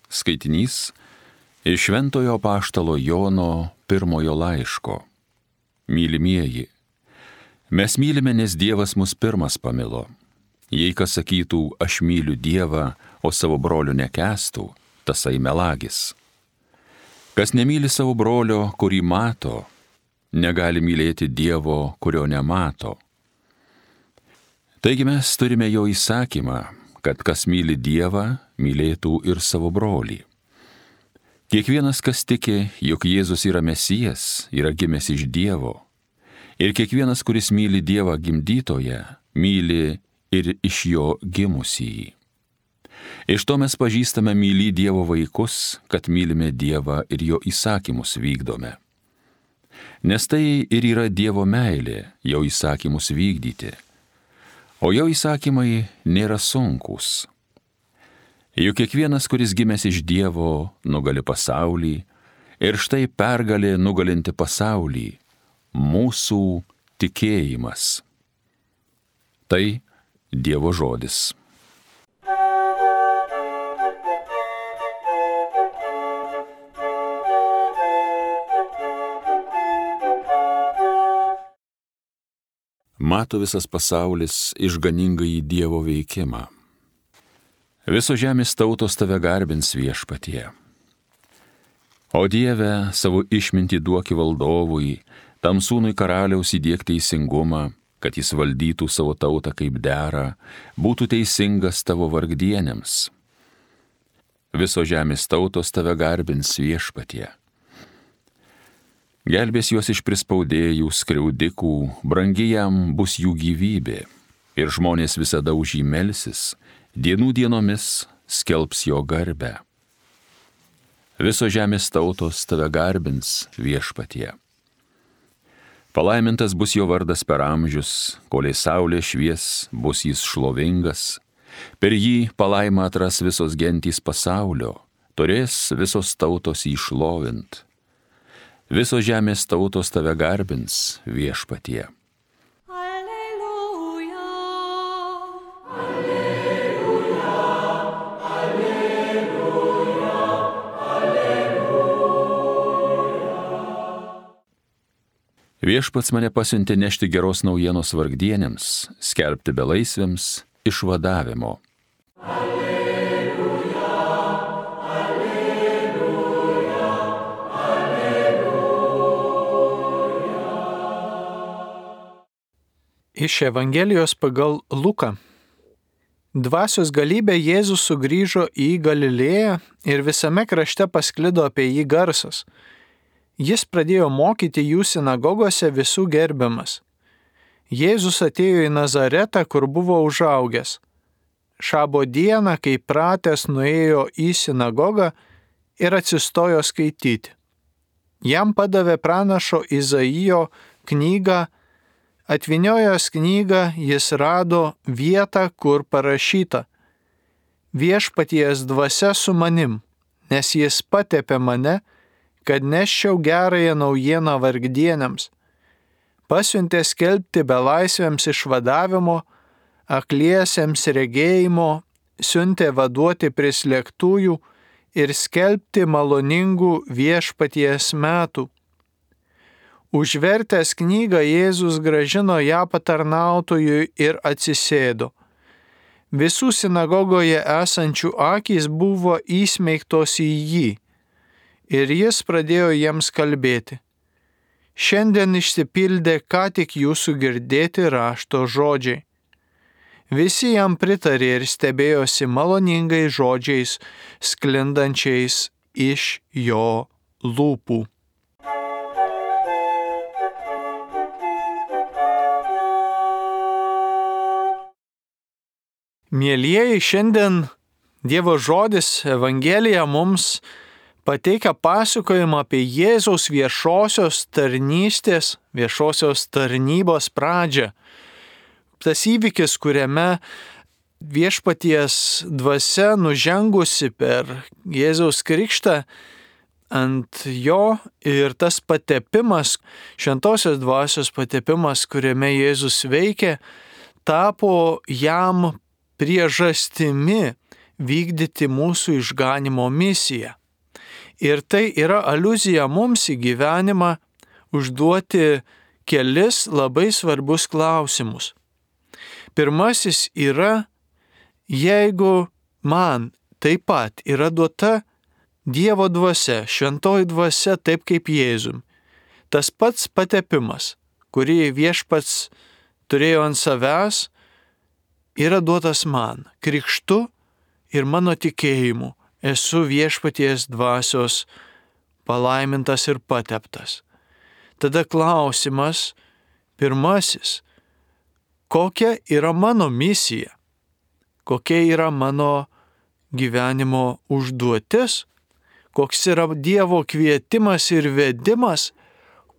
Skaitinys iš Šventojo apaštalo Jono pirmojo laiško. Mylimieji, mes mylime, nes Dievas mus pirmas pamilo. Jei kas sakytų, aš myliu Dievą, o savo brolio nekęstų, tasai melagis. Kas nemyli savo brolio, kurį mato, negali mylėti Dievo, kurio nemato. Taigi mes turime jo įsakymą, kad kas myli Dievą, mylėtų ir savo brolį. Kiekvienas, kas tiki, jog Jėzus yra Mesijas, yra gimęs iš Dievo. Ir kiekvienas, kuris myli Dievą gimdytoją, myli ir iš jo gimusįjį. Iš to mes pažįstame mylį Dievo vaikus, kad mylime Dievą ir jo įsakymus vykdome. Nes tai ir yra Dievo meilė, jo įsakymus vykdyti. O jo įsakymai nėra sunkūs. Juk kiekvienas, kuris gimęs iš Dievo, nugali pasaulį, ir štai pergalė nugalinti pasaulį – mūsų tikėjimas. Tai Dievo žodis. Mato visas pasaulis išganingąjį Dievo veikimą. Visos žemės tautos tave garbins viešpatie. O Dieve, savo išmintį duoki valdovui, tam sūnui karaliaus įdiek teisingumą, kad jis valdytų savo tautą kaip dera, būtų teisingas tavo vargdienėms. Visos žemės tautos tave garbins viešpatie. Gelbės juos iš prispaudėjų, skriaudikų, brangi jam bus jų gyvybė, ir žmonės visada už jį melsis, dienų dienomis skelbs jo garbę. Visos žemės tautos tave garbins viešpatie. Palaimintas bus jo vardas per amžius, kolei saulė švies, bus jis šlovingas. Per jį palaimą atras visos gentys pasaulio, turės visos tautos jį šlovint. Visos žemės tautos tave garbins viešpatie. Alleluja, alleluja, alleluja, alleluja. Viešpats mane pasiuntė nešti geros naujienos vargdienėms, skelbti belaisviams išvadavimo. Iš Evangelijos pagal Luką. Dvasios galybė Jėzus sugrįžo į Galilėją ir visame krašte pasklido apie jį garsas. Jis pradėjo mokyti jų sinagogose visų gerbiamas. Jėzus atėjo į Nazaretą, kur buvo užaugęs. Šabo dieną, kai pratęs, nuėjo į sinagogą ir atsistojo skaityti. Jam padavė pranašo Izaijo knygą. Atvyniojęs knygą, jis rado vietą, kur parašyta: Viešpaties dvasia su manim, nes jis patepė mane, kad neščiau gerąją naujieną vargdienėms. Pasiuntė skelbti belaisviams išvadavimo, akliesiems regėjimo, siuntė vaduoti prislėgtųjų ir skelbti maloningų viešpaties metų. Užvertęs knygą, Jėzus grąžino ją patarnautojui ir atsisėdo. Visų sinagogoje esančių akys buvo įsmeigtos į jį, ir jis pradėjo jiems kalbėti. Šiandien išsipildė ką tik jūsų girdėti rašto žodžiai. Visi jam pritarė ir stebėjosi maloningais žodžiais, sklindančiais iš jo lūpų. Mielieji, šiandien Dievo žodis, Evangelija mums pateikia pasakojimą apie Jėzaus viešosios tarnystės, viešosios tarnybos pradžią. Tas įvykis, kuriame viešpaties dvasia nužengusi per Jėzaus krikštą ant jo ir tas patepimas, šventosios dvasios patepimas, kuriame Jėzus veikė, tapo jam priežastimi vykdyti mūsų išganimo misiją. Ir tai yra aliuzija mums į gyvenimą užduoti kelis labai svarbus klausimus. Pirmasis yra, jeigu man taip pat yra duota Dievo dvasia, šventoji dvasia taip kaip Jėzum, tas pats patepimas, kurį Viešpats turėjo ant savęs, yra duotas man, krikštu ir mano tikėjimu. Esu Viešpaties dvasios palaimintas ir pateptas. Tada klausimas pirmasis, kokia yra mano misija, kokia yra mano gyvenimo užduotis, koks yra Dievo kvietimas ir vedimas,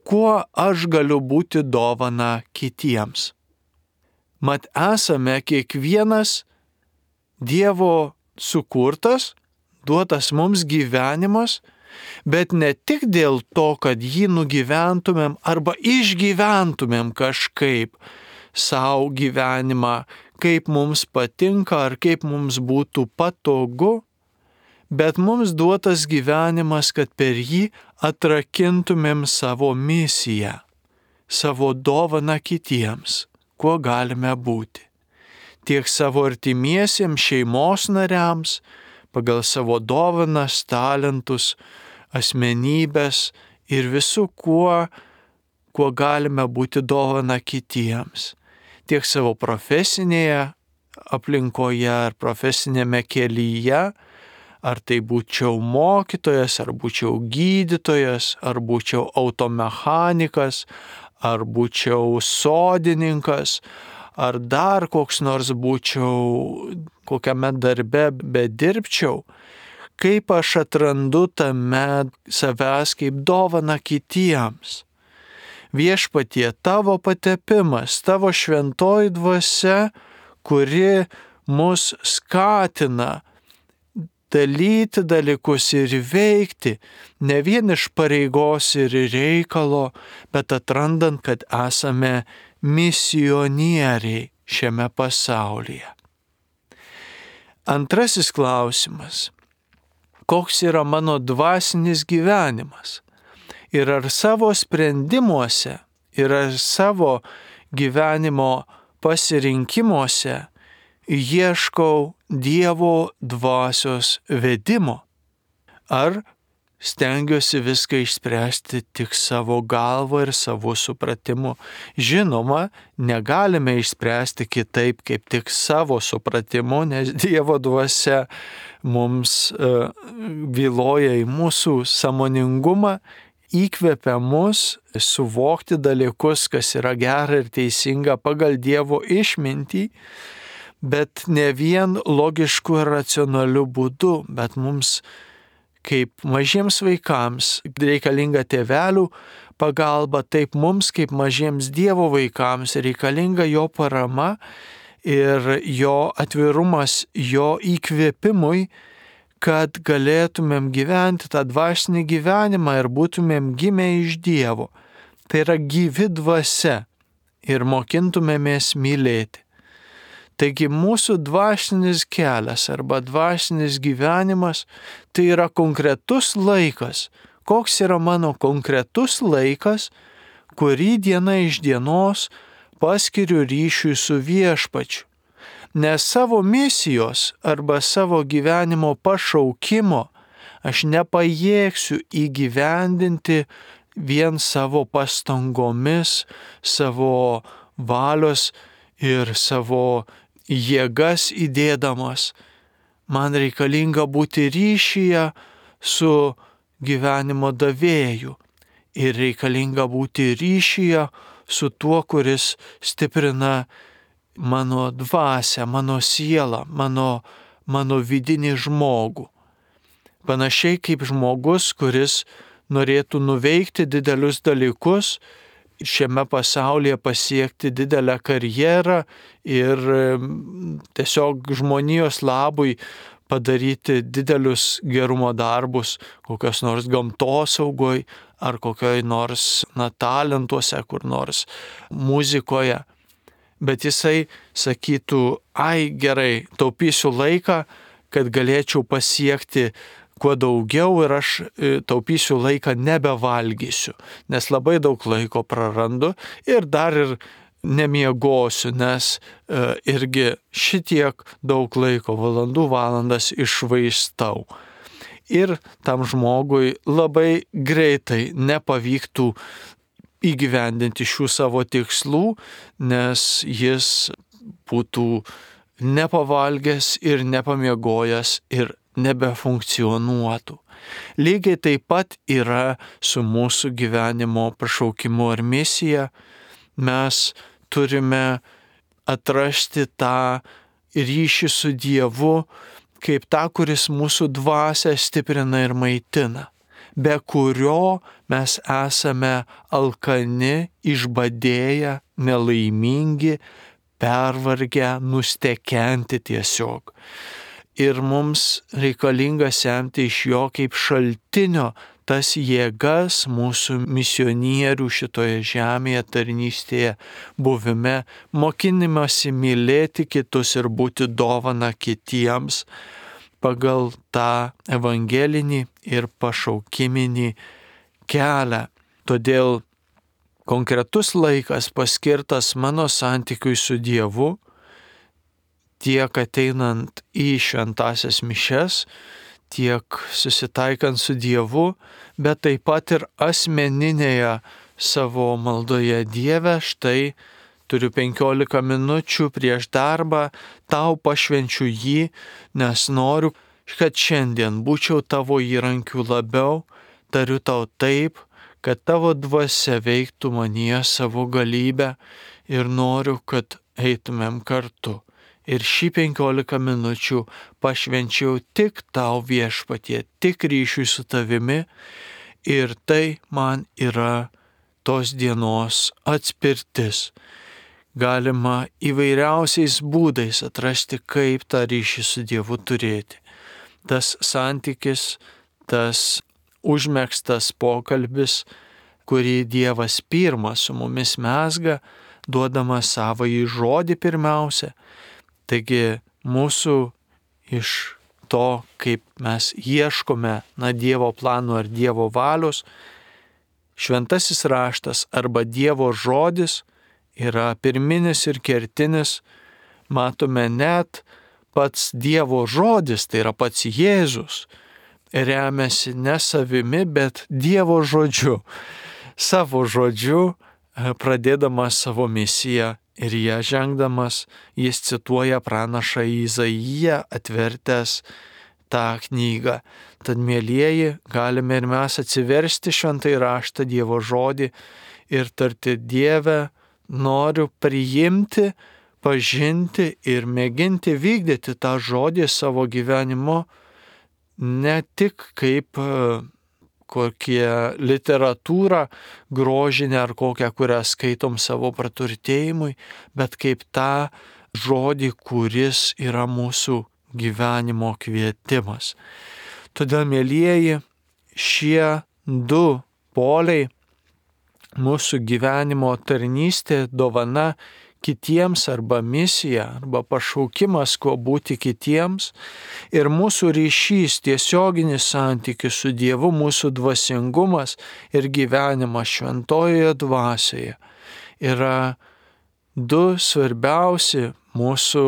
kuo aš galiu būti dovana kitiems. Mat esame kiekvienas Dievo sukurtas, duotas mums gyvenimas, bet ne tik dėl to, kad jį nugyventumėm arba išgyventumėm kažkaip savo gyvenimą, kaip mums patinka ar kaip mums būtų patogu, bet mums duotas gyvenimas, kad per jį atrakintumėm savo misiją, savo dovaną kitiems, kuo galime būti. Tiek savo artimiesiems, šeimos nariams, pagal savo dovanas, talentus, asmenybės ir visų, kuo galime būti dovana kitiems. Tiek savo profesinėje aplinkoje ar profesinėme kelyje, ar tai būčiau mokytojas, ar būčiau gydytojas, ar būčiau automechanikas, ar būčiau sodininkas, ar dar koks nors būčiau, kokiame darbe bedirbčiau, kaip aš atrandu tame savęs kaip dovana kitiems. Viešpatie, tavo patepimas, tavo šventoji dvasia, kuri mus skatina dalyti dalykus ir veikti, ne vien iš pareigos ir reikalo, bet atrandant, kad esame misionieriai šiame pasaulyje. Antrasis klausimas. Koks yra mano dvasinis gyvenimas? Ir ar savo sprendimuose, ir ar savo gyvenimo pasirinkimuose ieškau Dievo dvasios vedimo? Ar stengiuosi viską išspręsti tik savo galva ir savo supratimu? Žinoma, negalime išspręsti kitaip kaip tik savo supratimu, nes Dievo dvasia mums vyloja į mūsų sąmoningumą, įkvepia mus suvokti dalykus, kas yra gera ir teisinga pagal Dievo išmintį, bet ne vien logišku ir racionaliu būdu, bet mums kaip mažiems vaikams reikalinga tėvelių pagalba, taip mums kaip mažiems Dievo vaikams reikalinga jo parama ir jo atvirumas jo įkvėpimui, kad galėtumėm gyventi tą dvasinį gyvenimą ir būtumėm gimę iš Dievo. Tai yra gyvi dvasia ir mokintumėmės mylėti. Taigi mūsų dvasinis kelias arba dvasinis gyvenimas tai yra konkretus laikas. Koks yra mano konkretus laikas, kurį diena iš dienos paskiriu ryšiui su Viešpačiu. Nes savo misijos arba savo gyvenimo pašaukimo aš nepajėgsiu įgyvendinti vien savo pastangomis, savo valios ir savo jėgas įdėdamas. Man reikalinga būti ryšyje su gyvenimo davėju ir reikalinga būti ryšyje su tuo, kuris stiprina mano dvasią, mano sielą, mano vidinį žmogų. Panašiai kaip žmogus, kuris norėtų nuveikti didelius dalykus, šiame pasaulyje pasiekti didelę karjerą ir tiesiog žmonijos labui padaryti didelius gerumo darbus, kokios nors gamtosaugoj ar kokioj nors talentuose, kur nors muzikoje. Bet jisai sakytų, ai gerai, taupysiu laiką, kad galėčiau pasiekti kuo daugiau ir aš taupysiu laiką, nebevalgysiu, nes labai daug laiko prarandu ir dar ir nemiegosiu, nes irgi šitiek daug laiko, valandas iššvaistau. Ir tam žmogui labai greitai nepavyktų įgyvendinti šių savo tikslų, nes jis būtų nepavalgęs ir nepamiegojęs ir nebefunkcionuotų. Lygiai taip pat yra su mūsų gyvenimo pašaukimu ar misija. Mes turime atrasti tą ryšį su Dievu kaip tą, kuris mūsų dvasią stiprina ir maitina, be kurio mes esame alkani, išbadėję, nelaimingi, pervargę, nustekenti tiesiog. Ir mums reikalinga semti iš jo kaip šaltinio tas jėgas mūsų misionierių šitoje žemėje, tarnystėje, buvime, mokinimasi mylėti kitus ir būti dovana kitiems pagal tą evangelinį ir pašaukiminį kelią. Todėl konkretus laikas paskirtas mano santykiui su Dievu, tiek ateinant į šventąsias mišias, tiek susitaikant su Dievu, bet taip pat ir asmeninėje savo maldoje. Dieve, štai turiu 15 minučių prieš darbą, tau pašvenčiu jį, nes noriu, kad šiandien būčiau tavo įrankiu labiau, tariu tau taip, kad tavo dvasia veiktų manyje savo galybę ir noriu, kad eitumėm kartu. Ir šį 15 minučių pašvenčiau tik tau, Viešpatie, tik ryšiui su tavimi, ir tai man yra tos dienos atspirtis. Galima įvairiausiais būdais atrasti, kaip tą ryšį su Dievu turėti. Tas santykis, tas užmegztas pokalbis, kurį Dievas pirmas su mumis mezga, duodamas savąjį žodį pirmiausia. Taigi mūsų iš to, kaip mes ieškome Dievo plano ar Dievo valios, šventasis raštas arba Dievo žodis yra pirminis ir kertinis. Matome net pats Dievo žodis, tai yra pats Jėzus, remiasi ne savimi, bet Dievo žodžiu. Savo žodžiu pradėdamas savo misiją. Ir ją žengdamas, jis cituoja pranašą Izaiją, atvertęs tą knygą. Tad, mielieji, galime ir mes atsiversti šventąjį raštą, Dievo žodį ir tarti: Dieve, noriu priimti, pažinti ir mėginti vykdyti tą žodį savo gyvenimu, ne tik kaip kokią literatūrą grožinę ar kokią, kurią skaitom savo praturtėjimui, bet kaip tą žodį, kuris yra mūsų gyvenimo kvietimas. Todėl, mielieji, šie du poliai, mūsų gyvenimo tarnystė, dovana kitiems arba misija, arba pašaukimas, kuo būti kitiems, ir mūsų ryšys, tiesioginis santykis su Dievu, mūsų dvasingumas ir gyvenimas šventojoje dvasioje yra du svarbiausi mūsų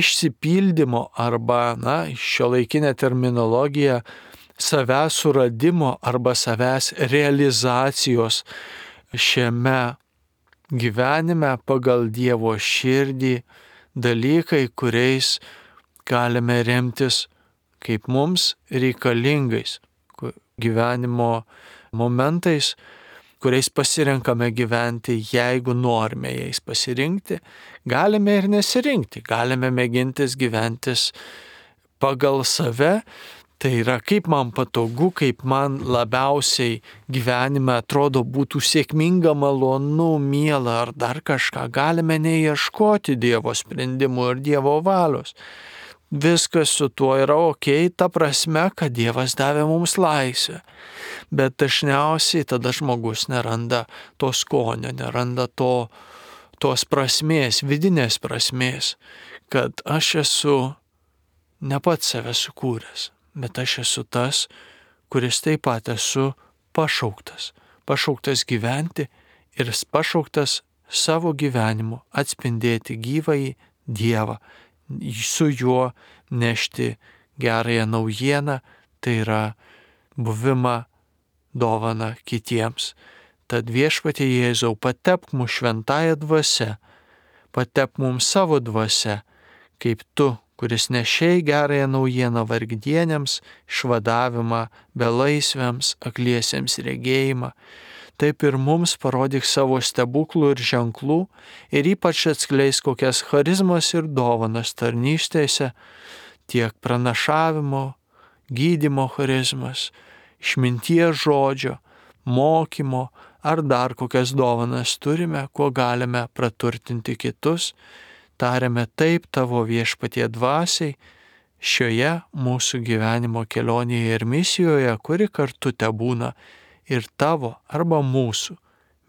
išsipildymo arba, šiuolaikinė terminologija, savęs suradimo arba savęs realizacijos šiame gyvenime pagal Dievo širdį dalykai, kuriais galime remtis kaip mums reikalingais gyvenimo momentais, kuriais pasirenkame gyventi, jeigu norime jais pasirinkti. Galime ir nesirinkti, galime mėgintis gyventis pagal save. Tai yra, kaip man patogu, kaip man labiausiai gyvenime atrodo būtų sėkminga, malonu, miela ar dar kažką. Galime neieškoti Dievo sprendimų ir Dievo valios. Viskas su tuo yra okei, ta prasme, kad Dievas davė mums laisvę. Bet dažniausiai tada žmogus neranda to skonio, neranda tos prasmės, vidinės prasmės, kad aš esu ne pats save sukūręs, bet aš esu tas, kuris taip pat esu pašauktas. Pašauktas gyventi ir pašauktas savo gyvenimu atspindėti gyvąjį Dievą, su juo nešti gerąją naujieną, tai yra buvimą dovaną kitiems. Tad viešpatie Jėzau, patepk mus šventąją dvasią, patepk mums savo dvasią, kaip tu, kuris nešei gerąją naujieną vargdienėms, išvadavimą, belaisviams, akliesiems regėjimą, taip ir mums parodyk savo stebuklų ir ženklų ir ypač atskleis kokias charizmas ir dovanas tarnystėse, tiek pranašavimo, gydymo charizmas, išminties žodžio, mokymo ar dar kokias dovanas turime, kuo galime praturtinti kitus, tariame taip tavo viešpatie dvasiai šioje mūsų gyvenimo kelionėje ir misijoje, kuri kartu tebūna ir tavo arba mūsų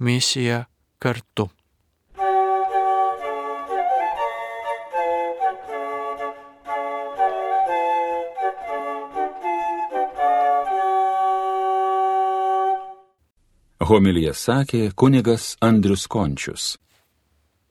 misija kartu. Homiliją sakė kunigas Andrius Končius.